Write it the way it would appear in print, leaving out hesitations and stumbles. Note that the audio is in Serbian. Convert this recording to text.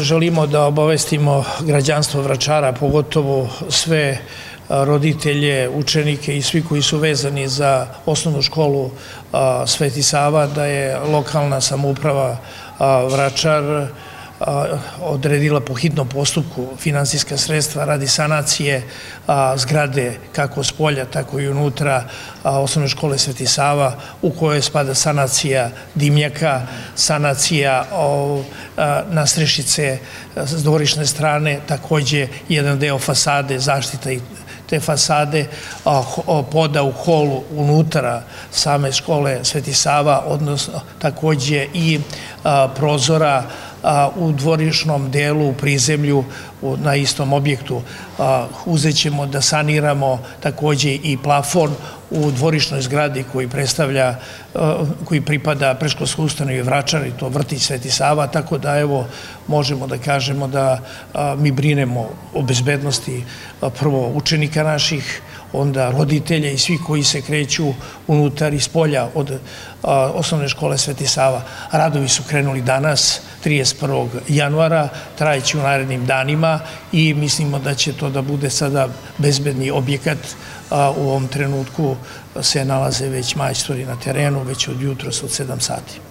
želimo da obavestimo građanstvo Vračara, pogotovo sve roditelje, učenike i svi koji su vezani za osnovnu školu Sveti Sava, da je lokalna samouprava Vračar odredila po hitnom postupku finansijska sredstva radi sanacije zgrade kako s polja, tako i unutra osnovne škole Sveti Sava, u kojoj spada sanacija dimnjaka, sanacija nadstrešice s dvorišne strane, takođe jedan deo fasade, zaštita i te fasade, poda u holu unutra same škole Sveti Sava, odnosno takođe i prozora u dvorišnom delu, u prizemlju, na istom objektu. Uzet ćemo da saniramo takođe i plafon u dvorišnoj zgradi koji pripada predškolskoj ustanovi Vračar, i to vrtić Sveti Sava, tako da evo možemo da kažemo da mi brinemo o bezbednosti prvo učenika naših, onda roditelja i svi koji se kreću unutar i spolja od osnovne škole Sveti Sava. Radovi su krenuli danas, 31. januara, trajeći u narednim danima i mislimo da će to da bude sada bezbedni objekat. U ovom trenutku se nalaze već majstori na terenu, već od jutros od 7 sati.